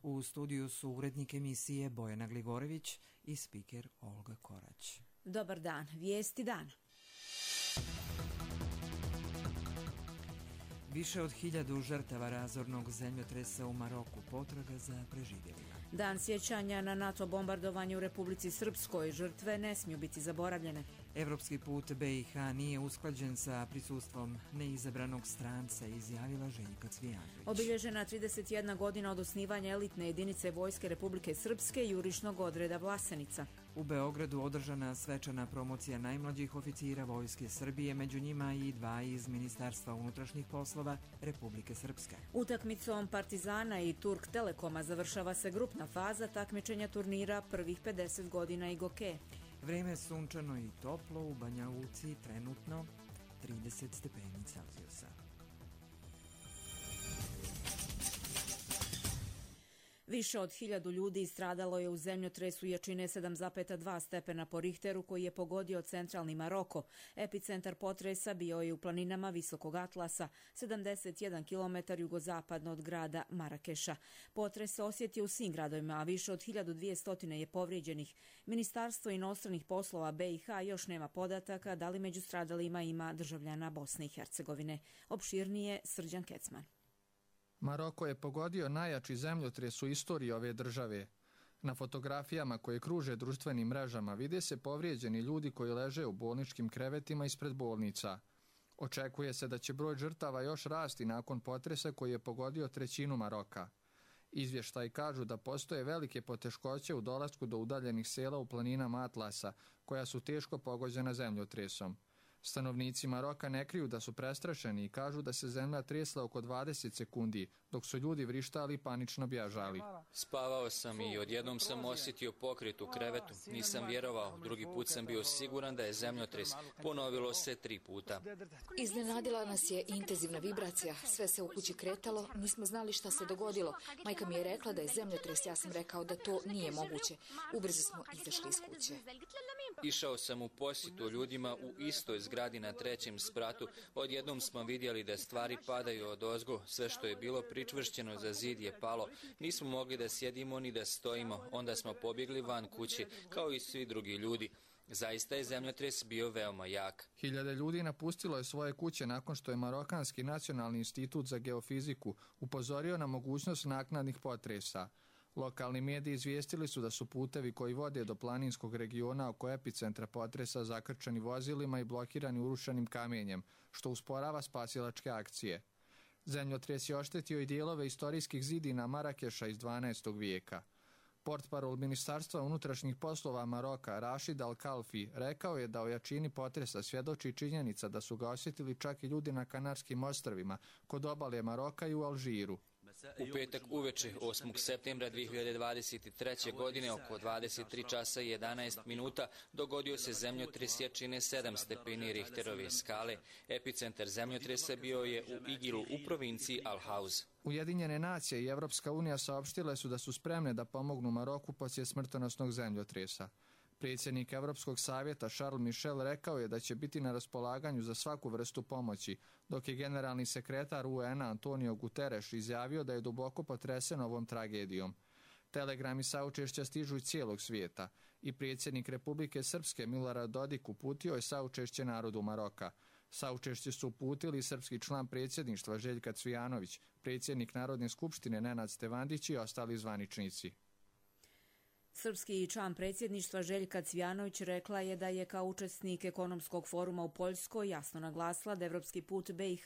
U studiju su urednik emisije Bojana Gligorović i spiker Olga Korać. Dobar dan, vijesti dana. Više od 1000 žrtava razornog zemljotresa u Maroku, potraga za preživjelima. Dan sjećanja na NATO bombardovanje u Republici Srpskoj, žrtve ne smiju biti zaboravljene. Evropski put BiH nije usklađen sa prisustvom neizabranog stranca, izjavila Željka Cvijanović. Obilježena 31 godina od osnivanja elitne jedinice Vojske Republike Srpske jurišnog odreda Vlasenica. U Beogradu održana svečana promocija najmlađih oficira Vojske Srbije, među njima i 2 iz Ministarstva unutrašnjih poslova Republike Srpske. Utakmicom Partizana i Turk Telekoma završava se grupna faza takmičenja turnira prvih 50 godina Igoke. Vreme je sunčano i toplo, u Banja Luci trenutno 30 stepeni Celzijusa. Više od 1000 ljudi stradalo je u zemljotresu jačine 7,2 stepena po Richteru koji je pogodio centralni Maroko. Epicentar potresa bio je u planinama Visokog Atlasa, 71 km jugozapadno od grada Marakeša. Potres se osjetio u svim gradovima, a više od 1200 je povrijeđenih. Ministarstvo inostranih poslova BiH još nema podataka da li među stradalima ima državljana Bosne i Hercegovine. Opširnije Srđan Kecman. Maroko je pogodio najjači zemljotres u istoriji ove države. Na fotografijama koje kruže društvenim mrežama vide se povrijeđeni ljudi koji leže u bolničkim krevetima ispred bolnica. Očekuje se da će broj žrtava još rasti nakon potresa koji je pogodio trećinu Maroka. Izvještaji kažu da postoje velike poteškoće u dolasku do udaljenih sela u planinama Atlasa, koja su teško pogođena zemljotresom. Stanovnici Maroka ne kriju da su prestrašeni i kažu da se zemlja tresla oko 20 sekundi, dok su ljudi vrištali i panično bježali. Spavao sam i odjednom sam osjetio pokret u krevetu. Nisam vjerovao, drugi put sam bio siguran da je zemljotres. Ponovilo se 3 puta. Iznenadila nas je intenzivna vibracija. Sve se u kući kretalo, nismo znali šta se dogodilo. Majka mi je rekla da je zemljotres, ja sam rekao da to nije moguće. Ubrzo smo izašli iz kuće. Išao sam u posjetu ljudima u istoj zgradi na 3. spratu. Odjednom smo vidjeli da stvari padaju odozgo. Sve što je bilo pričvršćeno za zid je palo. Nismo mogli da sjedimo ni da stojimo. Onda smo pobjegli van kuće, kao i svi drugi ljudi. Zaista je zemljotres bio veoma jak. 1000 ljudi napustilo je svoje kuće nakon što je Marokanski nacionalni institut za geofiziku upozorio na mogućnost naknadnih potresa. Lokalni mediji izvijestili su da su putevi koji vode do planinskog regiona oko epicentra potresa zakrčeni vozilima i blokirani urušenim kamenjem, što usporava spasilačke akcije. Zemljotres je oštetio i dijelove istorijskih zidina Marakeša iz 12. vijeka. Portparol Ministarstva unutrašnjih poslova Maroka, Rashid Al-Kalfi, rekao je da o jačini potresa svjedoči činjenica da su ga osjetili čak i ljudi na Kanarskim ostrvima, kod obale Maroka i u Alžiru. U petak uveče 8. septembra 2023. godine oko 23 časa i 11 minuta dogodio se zemljotres jačine 7 stepeni Richterove skale. Epicentar zemljotresa bio je u Igilu u provinciji Al-Hauz. Ujedinjene nacije i Evropska unija saopštile su da su spremne da pomognu Maroku poslije smrtonosnog zemljotresa. Predsjednik Evropskog savjeta Charles Michel rekao je da će biti na raspolaganju za svaku vrstu pomoći, dok je generalni sekretar UN-a Antonio Guterres izjavio da je duboko potresen ovom tragedijom. Telegrami saučešća stižu iz cijelog svijeta i predsjednik Republike Srpske Milorad Dodik uputio je saučešće narodu Maroka. Saučešće su uputili srpski član predsjedništva Željka Cvijanović, predsjednik Narodne skupštine Nenad Stevandić i ostali zvaničnici. Srpski član predsjedništva Željka Cvijanović rekla je da je kao učesnik ekonomskog foruma u Poljskoj jasno naglasila da evropski put BiH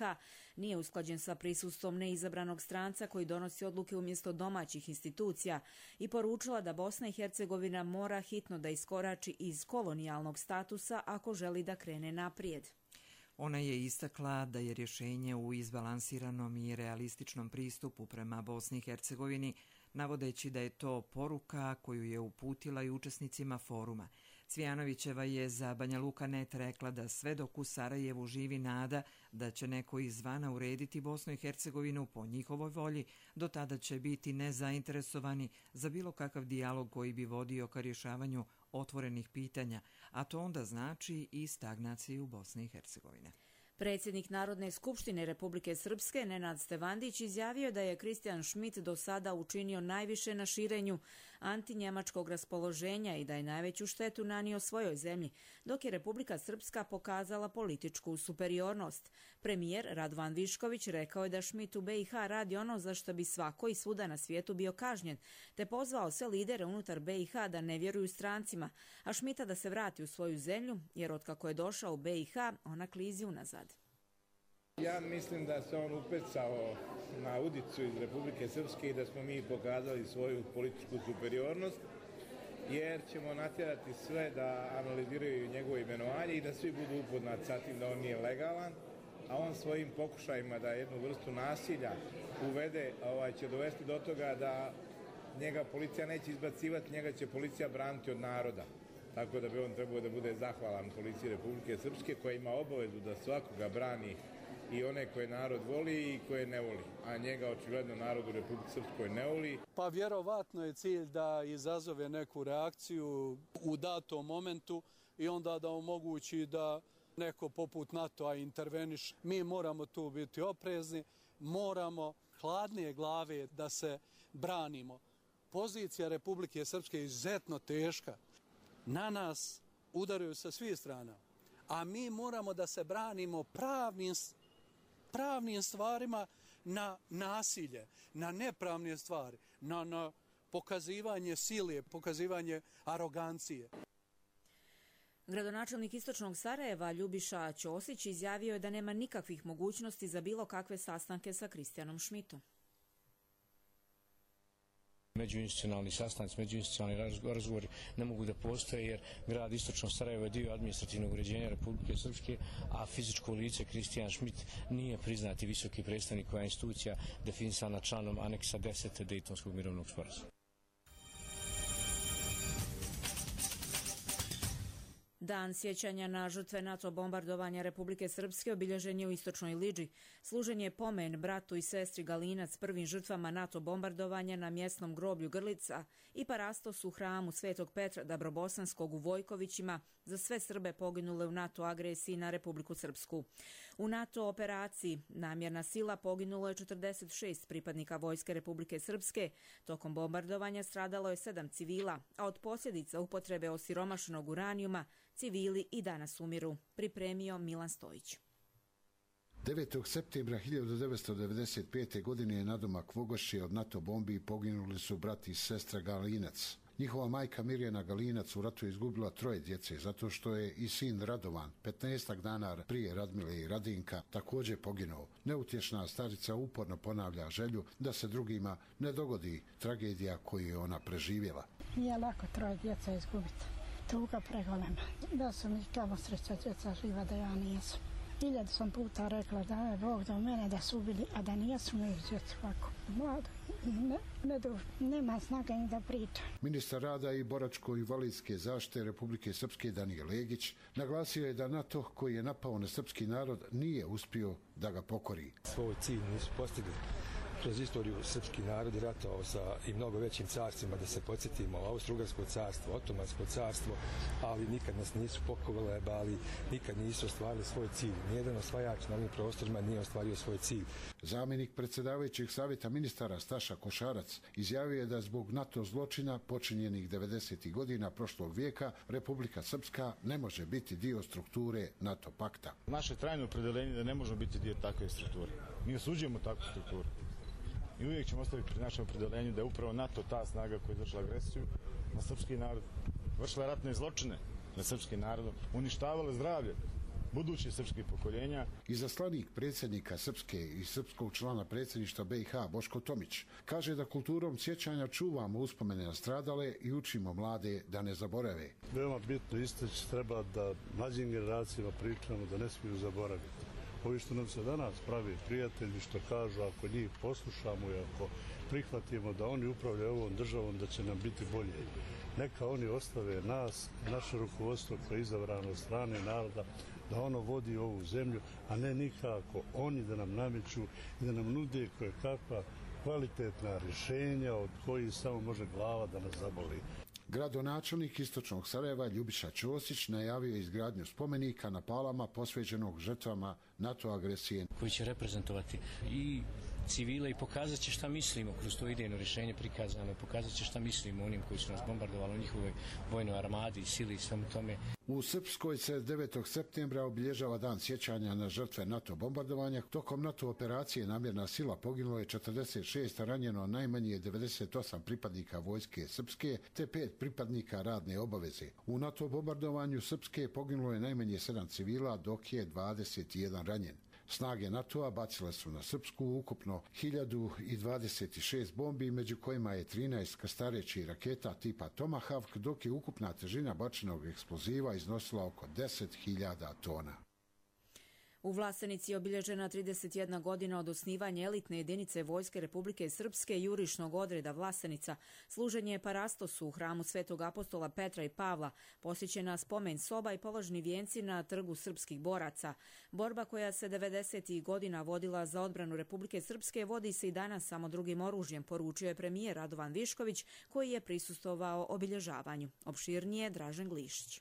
nije usklađen sa prisustvom neizabranog stranca koji donosi odluke umjesto domaćih institucija i poručila da Bosna i Hercegovina mora hitno da iskorači iz kolonijalnog statusa ako želi da krene naprijed. Ona je istakla da je rješenje u izbalansiranom i realističnom pristupu prema Bosni i Hercegovini, navodeći da je to poruka koju je uputila i učesnicima foruma. Cvijanovićeva je za Banja Luka.net rekla da sve dok u Sarajevu živi nada da će neko izvana urediti Bosnu i Hercegovinu po njihovoj volji, do tada će biti nezainteresovani za bilo kakav dijalog koji bi vodio ka rješavanju otvorenih pitanja, a to onda znači i stagnaciju Bosne i Hercegovine. Predsjednik Narodne skupštine Republike Srpske Nenad Stevandić izjavio da je Kristijan Schmidt do sada učinio najviše na širenju antinjemačkog raspoloženja i da je najveću štetu nanio svojoj zemlji, dok je Republika Srpska pokazala političku superiornost. Premijer Radovan Višković rekao je da Schmidt u BiH radi ono za što bi svako i svuda na svijetu bio kažnjen, te pozvao sve lidere unutar BiH da ne vjeruju strancima, a Schmidta da se vrati u svoju zemlju, jer otkako je došao u BiH, ona klizi unazad. Ja mislim da se on upecao na udicu iz Republike Srpske i da smo mi pokazali svoju političku superiornost, jer ćemo natjerati sve da analiziraju njegovo imenovanje i da svi budu upoznati sa tim da on nije legalan, a on svojim pokušajima da jednu vrstu nasilja uvede će dovesti do toga da njega policija neće izbacivati, njega će policija braniti od naroda. Tako da bi on trebao da bude zahvalan policiji Republike Srpske koja ima obavezu da svakoga brani i one koje narod voli i koje ne voli, a njega očigledno narod u Republike Srpskoj ne voli. Pa vjerovatno je cilj da izazove neku reakciju u datom momentu i onda da omogući da neko poput NATO-a interveniš. Mi moramo tu biti oprezni, moramo hladnije glave da se branimo. Pozicija Republike Srpske je izuzetno teška. Na nas udaraju sa svih strana, a mi moramo da se branimo pravnim stvarima na nasilje, na nepravne stvari, na pokazivanje sile, pokazivanje arogancije. Gradonačelnik Istočnog Sarajeva Ljubiša Ćosić izjavio je da nema nikakvih mogućnosti za bilo kakve sastanke sa Kristijanom Schmidtom. Međuinstitucionalni sastanci, međuinstitucionalni razgovori ne mogu da postoje jer grad Istočno Sarajevo je dio administrativnog uređenja Republike Srpske, a fizičko lice Kristijan Schmidt nije priznati visoki predstavnik koja institucija definisana članom aneksa 10. Dejtonskog mirovnog sporazuma. Dan sjećanja na žrtve NATO bombardovanja Republike Srpske obilježen je u Istočnoj Liđi. Služen je pomen bratu i sestri Galinac, prvim žrtvama NATO bombardovanja na mjesnom groblju Grlica i parastos u hramu Svetog Petra Dabrobosanskog u Vojkovićima za sve Srbe poginule u NATO agresiji na Republiku Srpsku. U NATO operaciji Namjerna sila poginulo je 46 pripadnika Vojske Republike Srpske. Tokom bombardovanja stradalo je 7 civila, a od posljedica upotrebe osiromašenog uranijuma civili i danas umiru, pripremio Milan Stojić. 9. septembra 1995. godine nadomak Vogošće od NATO bombi poginuli su brat i sestra Galinac. Njihova majka Mirjana Galinac u ratu izgubila 3 djece zato što je i sin Radovan 15 dana prije Radmile i Radinka također poginuo. Neutješna starica uporno ponavlja želju da se drugima ne dogodi tragedija koju je ona preživjela. Nije lako 3 djeca izgubiti. Tuga pregolema. Da su mi kamo sreća djeca živa da ja nijesam. 1000 sam puta rekla da je Bog do mene da su ubili, a da nijesu mi djecu ovako. Mlado i nema snage ni da priča. Ministar rada i boračko-invalidske zaštite Republike Srpske Danijel Legić naglasio je da NATO koji je napao na srpski narod nije uspio da ga pokori. Svoj cilj nisu postigli. Kroz istoriju srpski narod je ratovao sa i mnogo većim carstvima, da se podsjetimo, Austro-Ugarsko carstvo, Otomansko carstvo, ali nikad nas nisu pokolebali, nikad nisu ostvarili svoj cilj. Nijedan osvajač na ovim prostorima nije ostvario svoj cilj. Zamjenik predsjedavajućeg savjeta ministara Staša Košarac izjavio je da zbog NATO zločina počinjenih 90. godina prošlog vijeka Republika Srpska ne može biti dio strukture NATO pakta. Naše trajno opredeljenje da ne možemo biti dio takve strukture. Mi osuđujemo takvu strukturu. I uvijek ćemo ostaviti pri našem opredeljenju da je upravo NATO ta snaga koja je izvršila agresiju na srpski narod, vršila ratne zločine na srpski narod, uništavala zdravlje budućih srpskih pokoljenja. Izaslanik predsjednika Srpske i srpskog člana predsjedništva BiH Boško Tomić kaže da kulturom sjećanja čuvamo uspomene na stradale i učimo mlade da ne zaborave. Veoma bitno istaći treba da mlađim generacijama pričamo da ne smiju zaboraviti. Ovi što nam se danas pravi prijatelji, što kažu ako njih poslušamo i ako prihvatimo da oni upravljaju ovom državom, da će nam biti bolje. Neka oni ostave nas, naše rukovodstvo koje je izabrano od strane naroda, da ono vodi ovu zemlju, a ne nikako oni da nam nameću i da nam nude koje kakva kvalitetna rješenja od kojih samo može glava da nas zaboli. Gradonačelnik istočnog Sarajeva Ljubiša Ćosić najavio izgradnju spomenika na Palama posvećenog žrtvama NATO agresije. Koji će reprezentovati i civile i pokazat će šta mislimo kroz to idejno rješenje prikazano, pokazat će šta mislimo onim koji su nas bombardovali, o njihovoj vojnoj armadi, sili i svemu tome. U Srpskoj se 9. septembra obilježava dan sjećanja na žrtve NATO bombardovanja. Tokom NATO operacije Namjerna sila poginulo je 46, a ranjeno najmanje 98 pripadnika vojske Srpske te 5 pripadnika radne obaveze. U NATO bombardovanju Srpske poginulo je najmanje 7 civila, dok je 21 ranjen. Snage NATO-a bacile su na Srpsku ukupno 1026 bombi, među kojima je 13 krstarećih raketa tipa Tomahawk, dok je ukupna težina bačenog eksploziva iznosila oko 10.000 tona. U Vlasenici je obilježena 31 godina od osnivanja elitne jedinice Vojske Republike Srpske jurišnog odreda Vlasenica. Služenje parastosu u hramu Svetog apostola Petra i Pavla, posjećena spomen soba i položni vijenci na trgu srpskih boraca. Borba koja se 90. godina vodila za odbranu Republike Srpske vodi se i danas samo drugim oružjem, poručio je premijer Radovan Višković, koji je prisustvovao obilježavanju. Opširnije Dražen Glišić.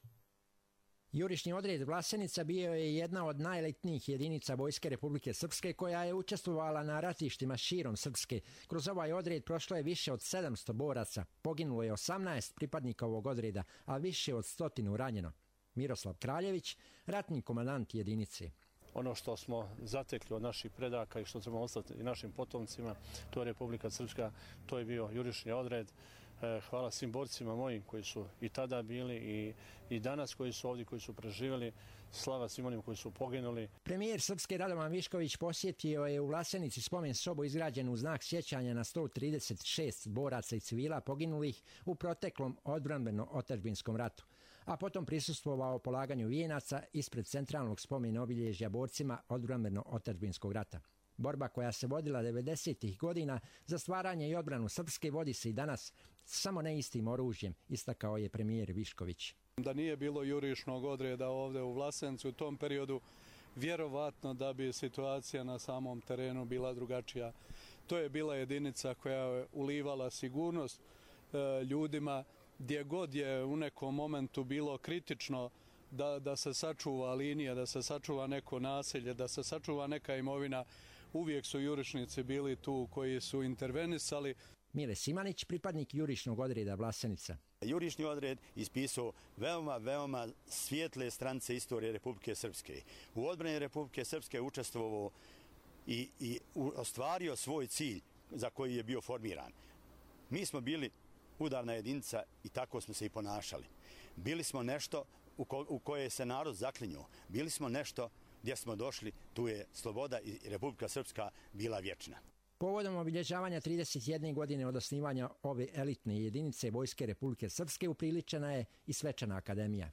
Jurišni odred Vlasenica bio je jedna od najelitnijih jedinica Vojske Republike Srpske koja je učestvovala na ratištima širom Srpske. Kroz ovaj odred prošlo je više od 700 boraca, poginulo je 18 pripadnika ovog odreda, a više od 100 ranjeno. Miroslav Kraljević, ratni komandant jedinice. Ono što smo zatekli od naših predaka i što ćemo ostati i našim potomcima, to je Republika Srpska, to je bio jurišni odred. Hvala svim borcima mojim koji su i tada bili i danas koji su ovdje, koji su preživjeli. Slava svim onim koji su poginuli. Premijer Srpske Radovan Višković posjetio je u Vlasenici spomen sobu izgrađenu u znak sjećanja na 136 boraca i civila poginulih u proteklom odbrambeno-otadžbinskom ratu, a potom prisustvovao polaganju vijenaca ispred centralnog spomena obilježja borcima odbrambeno-otadžbinskog rata. Borba koja se vodila 90. godina za stvaranje i odbranu Srpske vodi se i danas, samo ne istim oružjem, istakao je premijer Višković. Da nije bilo jurišnog odreda ovdje u Vlasencu u tom periodu, vjerovatno da bi situacija na samom terenu bila drugačija. To je bila jedinica koja je ulivala sigurnost ljudima, gdje god je u nekom momentu bilo kritično da se sačuva linija, da se sačuva neko naselje, da se sačuva neka imovina. Uvijek su jurišnici bili tu koji su intervenisali. Mile Simanić, pripadnik jurišnog odreda Vlasenica. Jurišni odred ispisao veoma svijetle stranice istorije Republike Srpske. U odbrani Republike Srpske učestvovao i ostvario svoj cilj za koji je bio formiran. Mi smo bili udarna jedinica i tako smo se i ponašali. Bili smo nešto u koje se narod zaklinjao. Bili smo nešto gdje smo došli, tu je sloboda i Republika Srpska bila vječna. Povodom obilježavanja 31 godine od osnivanja ove elitne jedinice Vojske Republike Srpske upriličena je i svečana akademija.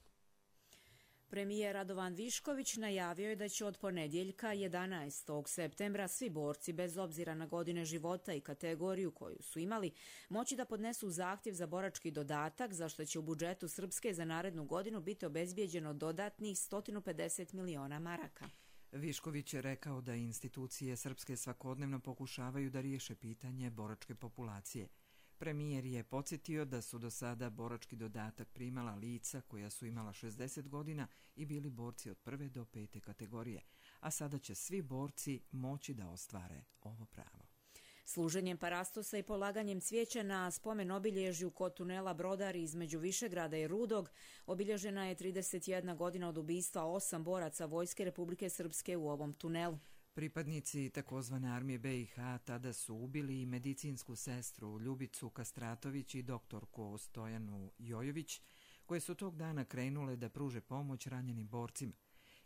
Premijer Radovan Višković najavio je da će od ponedjeljka 11. septembra svi borci, bez obzira na godine života i kategoriju koju su imali, moći da podnesu zahtjev za borački dodatak, za što će u budžetu Srpske za narednu godinu biti obezbijeđeno dodatnih 150 miliona maraka. Višković je rekao da institucije Srpske svakodnevno pokušavaju da riješe pitanje boračke populacije. Premijer je podsjetio da su do sada borački dodatak primala lica koja su imala 60 godina i bili borci od 1. do 5. kategorije, a sada će svi borci moći da ostvare ovo pravo. Služenjem parastosa i polaganjem cvijeća na spomen obilježju kod tunela Brodari između Višegrada i Rudog obilježena je 31 godina od ubistva 8 boraca Vojske Republike Srpske u ovom tunelu. Pripadnici takozvane armije BiH tada su ubili i medicinsku sestru Ljubicu Kastratović i doktorku Stojanu Jojović, koje su tog dana krenule da pruže pomoć ranjenim borcima.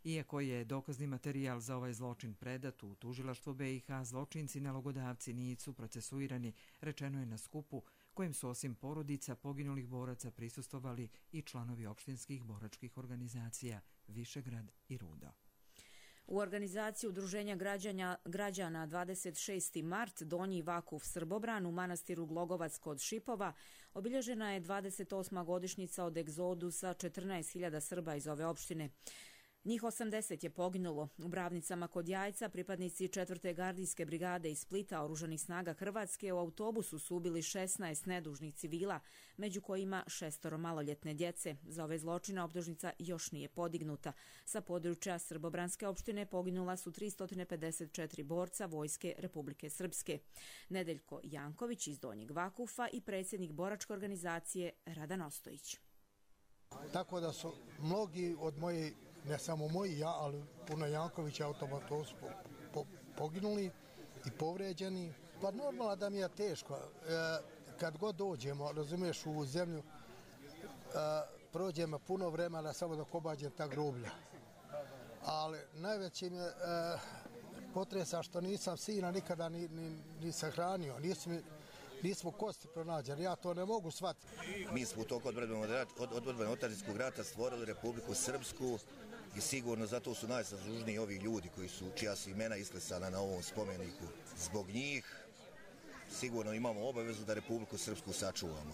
Iako je dokazni materijal za ovaj zločin predat u tužilaštvo BiH, zločinci nalogodavci nisu procesuirani, rečeno je na skupu kojem su osim porodica poginulih boraca prisustvovali i članovi opštinskih boračkih organizacija Višegrad i Rudo. U organizaciji Udruženja građana 26. mart Donji Vakuf Srbobran u manastiru Glogovac kod Šipova obilježena je 28. godišnjica od egzodusa 14.000 Srba iz ove opštine. Njih 80 je poginulo. U Bravnicama kod Jajca pripadnici 4. gardijske brigade iz Splita oružanih snaga Hrvatske u autobusu su ubili 16 nedužnih civila, među kojima 6 maloljetne djece. Za ove zločine optužnica još nije podignuta. Sa područja Srbobranske opštine poginula su 354 borca Vojske Republike Srpske. Nedeljko Janković iz Donjeg Vakufa i predsjednik boračke organizacije Radan Ostojić. Tako da su mnogi od moji, ne samo moji, ali puno Jankovića automato su poginuli i povređeni. Pa normalno da mi je teško. Kad god dođemo, razumiješ, u zemlju, prođemo puno vremena samo da obađem ta groblja. Ali najveći mi je potresa što nisam sina nikada ni sahranio. Nismo kosti pronađeni, ja to ne mogu shvatiti. Mi smo u toku odbrane otadžbinskog rata stvorili Republiku Srpsku i sigurno zato su najzaslužniji ovi ljudi čija su imena isklesana na ovom spomeniku. Zbog njih sigurno imamo obavezu da Republiku Srpsku sačuvamo.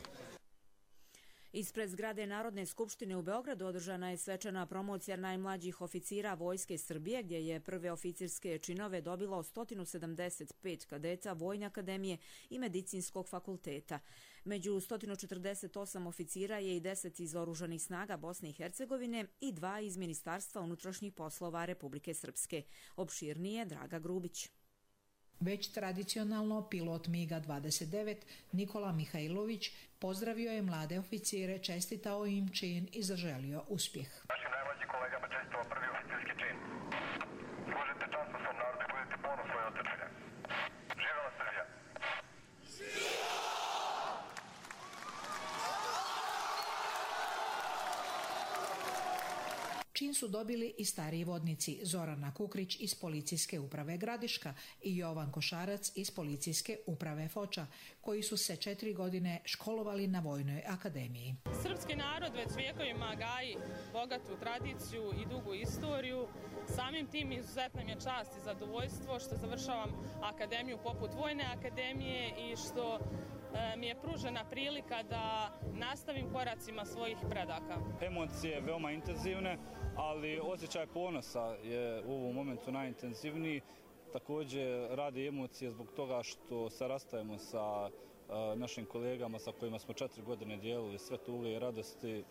Ispred zgrade Narodne skupštine u Beogradu održana je svečana promocija najmlađih oficira Vojske Srbije, gdje je prve oficirske činove dobilo 175 kadeta Vojne akademije i Medicinskog fakulteta. Među 148 oficira je i 10 iz oružanih snaga Bosne i Hercegovine i 2 iz Ministarstva unutrašnjih poslova Republike Srpske. Opširnije Draga Grubić. Već tradicionalno pilot MiG-29 Nikola Mihajlović pozdravio je mlade oficire, čestitao im čin i zaželio uspjeh. Našim najmlađim kolegama čestitao prvi oficirski čin. Služite časno svom narodu i budete ponos svoje otadžbine. Živela Srbija! Čin su dobili i stariji vodnici Zorana Kukrić iz Policijske uprave Gradiška i Jovan Košarac iz Policijske uprave Foča, koji su se 4 godine školovali na Vojnoj akademiji. Srpski narod već vijekovima gaji bogatu tradiciju i dugu istoriju. Samim tim izuzetna mi je čast i zadovoljstvo što završavam akademiju poput Vojne akademije i što mi je pružena prilika da nastavim koracima svojih predaka. Emocije veoma intenzivne, ali osjećaj ponosa je u ovom momentu najintenzivniji. Također rade emocije zbog toga što se rastajemo sa našim kolegama sa kojima smo 4 godine dijelili sve tuge i radosti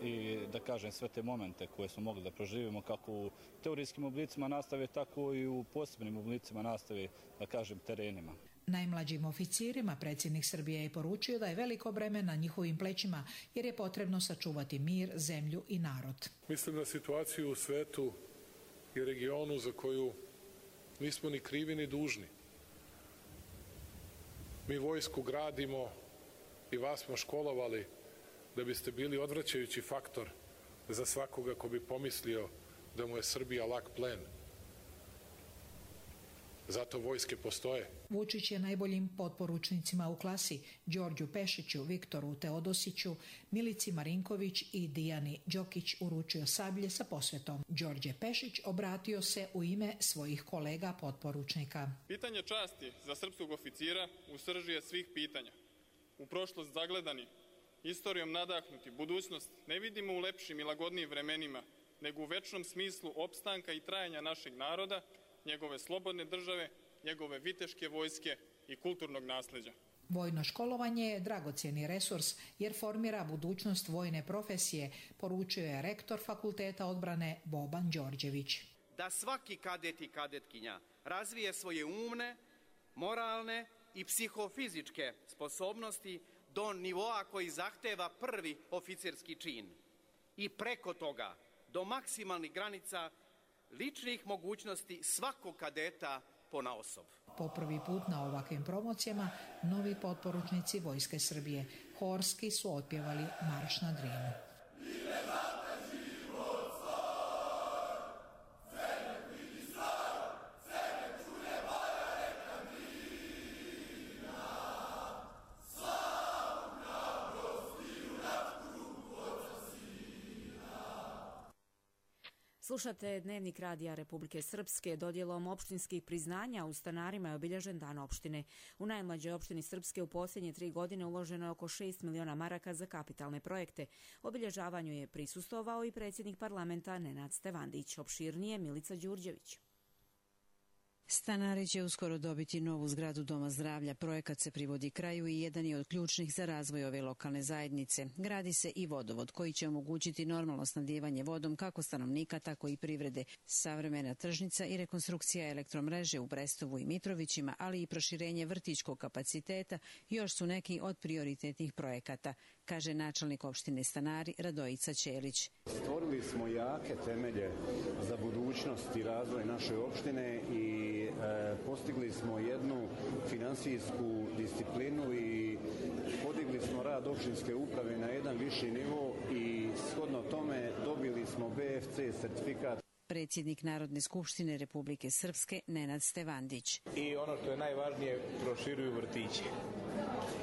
i da kažem sve te momente koje smo mogli da proživimo kako u teorijskim oblicima nastave, tako i u posebnim oblicima nastave, da kažem, terenima. Najmlađim oficirima predsjednik Srbije je poručio da je veliko breme na njihovim plećima jer je potrebno sačuvati mir, zemlju i narod. Mislim na situaciju u svetu i regionu za koju nismo ni krivi ni dužni. Mi vojsku gradimo i vas smo školovali da biste bili odvraćajući faktor za svakoga ko bi pomislio da mu je Srbija lak plen. Zato vojske postoje. Vučić je najboljim potporučnicima u klasi, Đorđu Pešiću, Viktoru Teodosiću, Milici Marinković i Dijani Đokić uručio sablje sa posvetom. Đorđe Pešić obratio se u ime svojih kolega potporučnika. Pitanje časti za srpskog oficira u srži je svih pitanja. U prošlost zagledani, istorijom nadahnuti, budućnost ne vidimo u lepšim i lagodnijim vremenima, nego u večnom smislu opstanka i trajanja našeg naroda, njegove slobodne države, njegove viteške vojske i kulturnog nasleđa. Vojno školovanje je dragocjeni resurs jer formira budućnost vojne profesije, poručio je rektor Fakulteta odbrane Boban Đorđević. Da svaki kadet i kadetkinja razvije svoje umne, moralne i psihofizičke sposobnosti do nivoa koji zahteva prvi oficirski čin i preko toga do maksimalnih granica ličnih mogućnosti svakog kadeta ponaosob. Po prvi put na ovakvim promocijama novi potporučnici Vojske Srbije horski su otpjevali Marš na Drinu. Slušate Dnevnik radija Republike Srpske. Dodjelom opštinskih priznanja u stanarima je obilježen dan opštine. U najmlađoj opštini Srpske u posljednje 3 godine uloženo je oko 6 miliona maraka za kapitalne projekte. Obilježavanju je prisustvovao i predsjednik parlamenta Nenad Stevandić. Opširnije Milica Đurđević. Stanari će uskoro dobiti novu zgradu Doma zdravlja. Projekat se privodi kraju i jedan je od ključnih za razvoj ove lokalne zajednice. Gradi se i vodovod koji će omogućiti normalno snabdijevanje vodom kako stanovnika, tako i privrede. Savremena tržnica i rekonstrukcija elektromreže u Brestovu i Mitrovićima, ali i proširenje vrtićkog kapaciteta još su neki od prioritetnih projekata, kaže načelnik opštine Stanari Radojica Ćelić. Stvorili smo jake temelje za budućnost i razvoj naše opštine i postigli smo jednu finansijsku disciplinu i podigli smo rad opštinske uprave na jedan viši nivo i shodno tome dobili smo BFC sertifikat. Predsjednik Narodne skupštine Republike Srpske Nenad Stevandić. I ono što je najvažnije, proširuju vrtiće.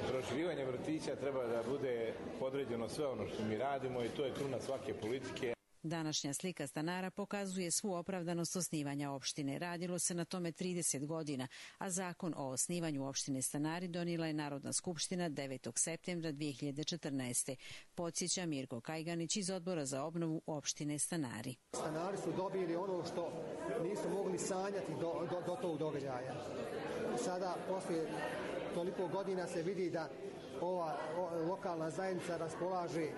Proširivanje vrtića treba da bude podređeno sve ono što mi radimo i to je kruna svake politike. Današnja slika stanara pokazuje svu opravdanost osnivanja opštine. Radilo se na tome 30 godina, a zakon o osnivanju opštine Stanari donijela je Narodna skupština 9. septembra 2014. Podsjeća Mirko Kajganić iz Odbora za obnovu opštine Stanari. Stanari su dobili ono što nisu mogli sanjati do tog događaja. Sada, poslije toliko godina se vidi da ova lokalna zajednica raspolaže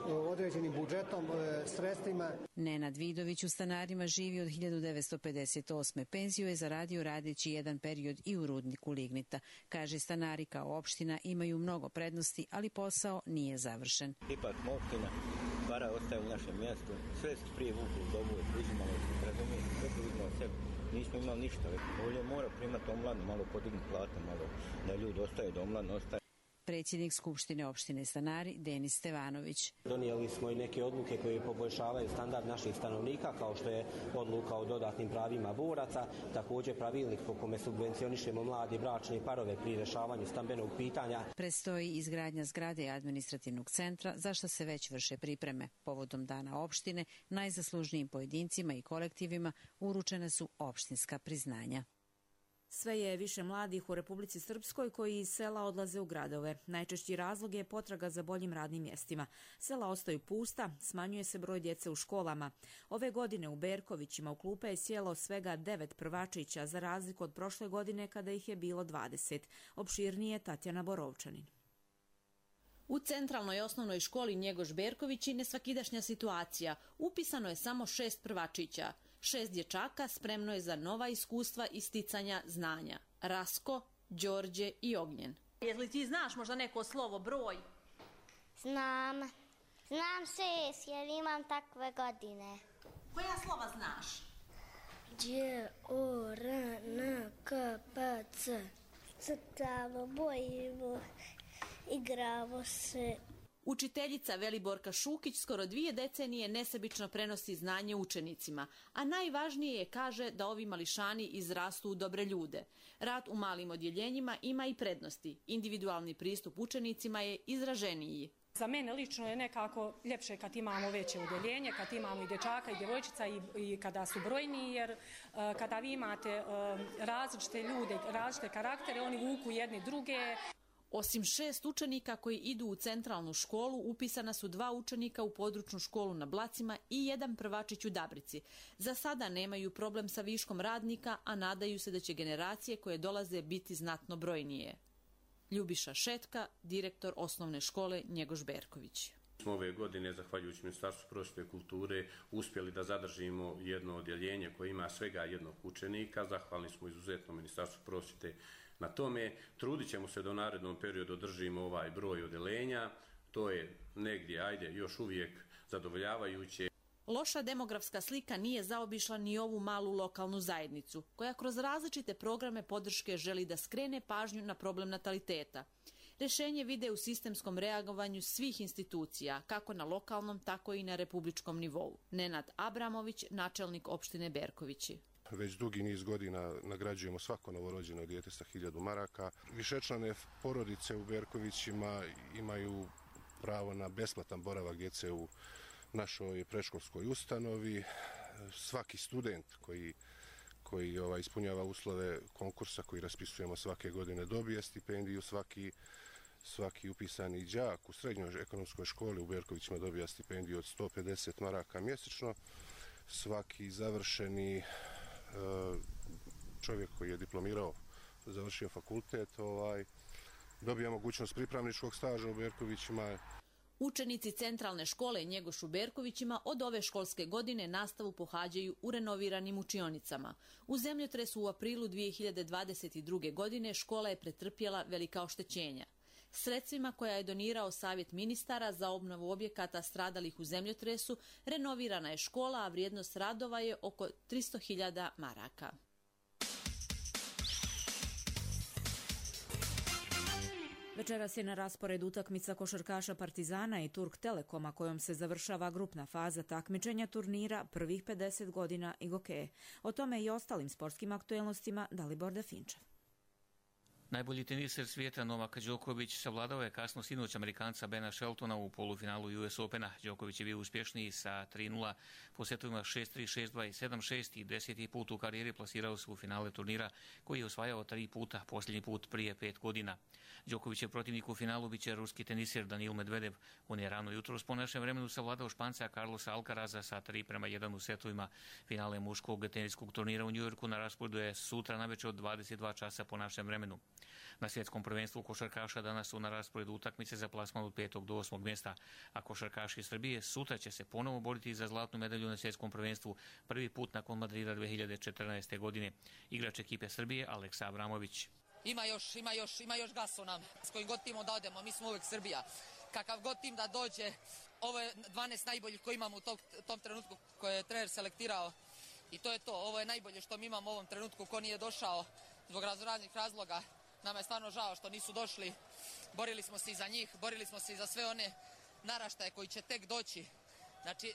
određenim budžetom, sredstvima. Nenad Vidović u Stanarima živi od 1958. Penziju je zaradio radeći jedan period i u rudniku lignita. Kaže, Stanari kao opština imaju mnogo prednosti, ali posao nije završen. Ipak opština, para ostaje u našem mjestu, sve su prije vukli u dobu, uzimali su predome, sve su uzimali sebi. Nismo imali ništa, ovdje mora primati omladnu, malo podignuti platu, malo da ljudi ostaju, da omladno ostaje. Predsjednik Skupštine opštine Stanari Denis Stevanović. Donijeli smo i neke odluke koje poboljšavaju standard naših stanovnika, kao što je odluka o dodatnim pravima boraca, također pravilnik po kome subvencionišemo mladi bračne parove pri rješavanju stambenog pitanja. Predstoji izgradnja zgrade administrativnog centra, za što se već vrše pripreme. Povodom dana opštine, najzaslužnijim pojedincima i kolektivima uručena su opštinska priznanja. Sve je više mladih u Republici Srpskoj koji iz sela odlaze u gradove. Najčešći razlog je potraga za boljim radnim mjestima. Sela ostaju pusta, smanjuje se broj djece u školama. Ove godine u Berkovićima u klupe je sjelo svega 9 prvačića, za razliku od prošle godine kada ih je bilo 20. Opširnije Tatjana Borovčanin. U centralnoj osnovnoj školi Njegoš Berkovići nesvakidašnja situacija. Upisano je samo 6 prvačića. 6 dječaka spremno je za nova iskustva i sticanja znanja. Rasko, Đorđe i Ognjen. Jel ti znaš možda neko slovo, broj? Znam 6 jer imam takve godine. Koja slova znaš? Đ, O, R, N, K, P, C. Crtamo, bojimo, igramo se. Učiteljica Veliborka Šukić skoro 2 decenije nesebično prenosi znanje učenicima, a najvažnije je, kaže, da ovi mališani izrastu u dobre ljude. Rad u malim odjeljenjima ima i prednosti. Individualni pristup učenicima je izraženiji. Za mene lično je nekako ljepše kad imamo veće udjeljenje, kad imamo i dječaka i djevojčica i kada su brojni, jer kada vi imate različite ljude, različite karaktere, oni vuku jedni druge. Osim 6 učenika koji idu u centralnu školu, upisana su 2 učenika u područnu školu na Blacima i 1 prvačić u Dabrici. Za sada nemaju problem sa viškom radnika, a nadaju se da će generacije koje dolaze biti znatno brojnije. Ljubiša Šetka, direktor osnovne škole Njegoš Berković. Smo ove godine, zahvaljujući Ministarstvu prosvjete i kulture, uspjeli da zadržimo jedno odjeljenje koje ima svega jednog učenika. Zahvalni smo izuzetno Ministarstvu prosvjete na tome. Trudit ćemo se da u narednom periodu održimo ovaj broj odjeljenja. To je negdje, još uvijek zadovoljavajuće. Loša demografska slika nije zaobišla ni ovu malu lokalnu zajednicu, koja kroz različite programe podrške želi da skrene pažnju na problem nataliteta. Rješenje vide u sistemskom reagovanju svih institucija, kako na lokalnom, tako i na republičkom nivou. Nenad Abramović, načelnik opštine Berkovići. Već dugi niz godina nagrađujemo svako novorođeno dijete sa 1000 maraka. Višečlane porodice u Berkovićima imaju pravo na besplatan boravak djece u našoj predškolskoj ustanovi. svaki student koji ispunjava uslove konkursa koji raspisujemo svake godine dobije stipendiju, svaki upisani đak u srednjoj ekonomskoj školi u Berkovićima dobija stipendiju od 150 maraka mjesečno, svaki završeni čovjek koji je diplomirao, završio fakultet, dobija mogućnost pripravničkog staža u Berkovićima. Učenici centralne škole Njegoš u Berkovićima od ove školske godine nastavu pohađaju u renoviranim učionicama. U zemljotresu u aprilu 2022. godine škola je pretrpjela velika oštećenja. Sredstvima koja je donirao Savjet ministara za obnovu objekata stradalih u zemljotresu renovirana je škola, a vrijednost radova je oko 300.000 maraka. Večeras je na rasporedu utakmica košarkaša Partizana i Turk Telekoma kojom se završava grupna faza takmičenja turnira prvih 50 godina Igokeje. O tome i ostalim sportskim aktuelnostima Dalibor Definčev. Najbolji teniser svijeta Novak Đoković savladao je kasno sinoć Amerikanca Bena Sheltona u polufinalu US Opena. Đoković je bio uspješniji sa 3-0 po setovima 6-3, 6-2 i 7-6 i 10. put u karijeri plasirao se u finale turnira koji je osvajao 3 puta, posljednji put prije 5 godina. Đoković je protivnik u finalu biće ruski teniser Danil Medvedev. On je rano jutros po našem vremenu savladao Španca Carlosa Alcaraza sa 3-1 u setovima. Finale muškog teniskog turnira u Njujorku na rasporedu je sutra navečer od 22 časa po našem vremenu. Na svjetskom prvenstvu košarkaša danas su na rasporedu utakmice za plasman od 5. do 8. mjesta, a košarkaši Srbije sutra će se ponovo boriti za zlatnu medalju na svjetskom prvenstvu prvi put nakon Madrida 2014. godine. Igrač ekipe Srbije Aleksa Abramović. Ima još gas u nam. S kojim god timom da odemo, mi smo uvijek Srbija. Kakav god tim da dođe, ovo je 12 najboljih koji imamo u tom trenutku koje je trener selektirao. I to je to, ovo je najbolje što mi imamo u ovom trenutku, ko nije došao zbog raznih razloga. Nama je stvarno žao što nisu došli. Borili smo se i za njih, borili smo se i za sve one naraštaje koji će tek doći. Znači,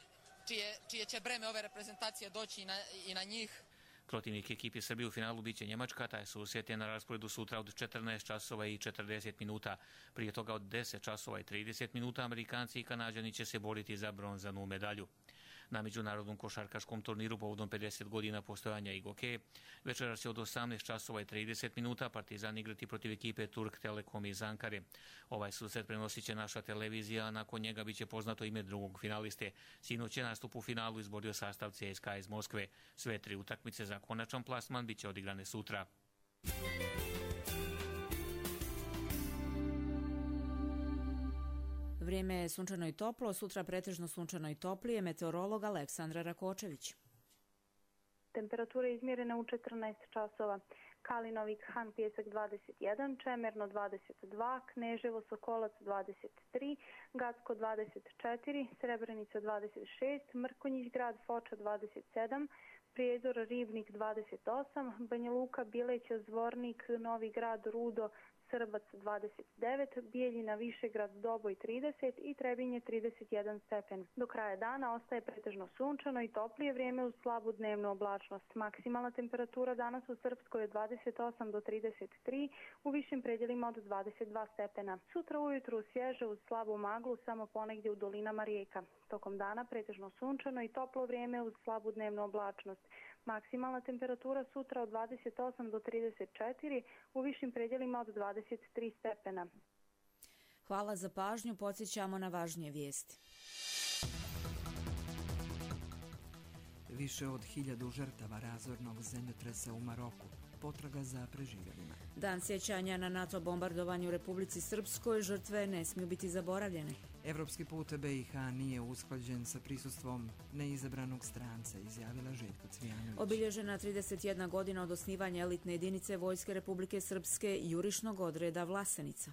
čije će breme ove reprezentacije doći i na njih. Protivnik ekipi Srbije u finalu biće Njemačka, taj susret je na rasporedu sutra od 14 časova i 40 minuta. Prije toga od 10 časova i 30 minuta Amerikanci i Kanađani će se boriti za bronzanu medalju. Na međunarodnom košarkaškom turniru povodom 50 godina postojanja Igokeje večeras će od 18 časova i 30 minuta Partizan igrati protiv ekipe Turk Telekom iz Ankare. Ovaj susret prenosit će naša televizija, a nakon njega biće poznato ime drugog finaliste. Sinoć je nastup u finalu izborio sastav CSKA iz Moskve. Sve 3 utakmice za konačan plasman biće odigrane sutra. Vrijeme je sunčano i toplo, sutra pretežno sunčano i toplije, meteorolog Aleksandra Rakočević. Temperatura je izmjerena u 14 časova. Kalinovik, Han, Pjesak 21, Čemerno 22, Kneževo, Sokolac 23, Gacko 24, Srebrenica 26, Mrkonjić grad, Foča 27, Prijedor, Ribnik 28, Banja Luka, Bileća, Zvornik, Novi grad, Rudo, Srbac 29, Bijeljina, Višegrad, Doboj 30 i Trebinje 31 stepen. Do kraja dana ostaje pretežno sunčano i toplije vrijeme uz slabu dnevnu oblačnost. Maksimalna temperatura danas u Srpskoj je 28 do 33, u višim predjelima od 22 stepena. Sutra ujutru svježe uz slabu maglu samo ponegdje u dolinama rijeka. Tokom dana pretežno sunčano i toplo vrijeme uz slabu dnevnu oblačnost. Maksimalna temperatura sutra od 28 do 34, u višim predjelima od 23 stepena. Hvala za pažnju, podsjećamo na važnije vijesti. Više od 1000 žrtava razornog zemljotresa u Maroku. Potraga za preživjelima. Dan sjećanja na NATO bombardovanju u Republici Srpskoj, žrtve ne smiju biti zaboravljene. Evropski put BiH nije usklađen sa prisustvom neizabranog stranca, izjavila Željko Cvijanović. Obilježena 31 godina od osnivanja elitne jedinice Vojske Republike Srpske jurišnog odreda Vlasenica.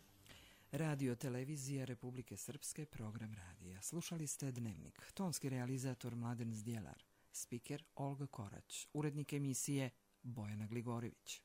Radio televizija Republike Srpske, program radija. Slušali ste Dnevnik. Tonski realizator Mladen Zdjelar. Spiker Olga Korać. Urednik emisije Bojana Gligorivić.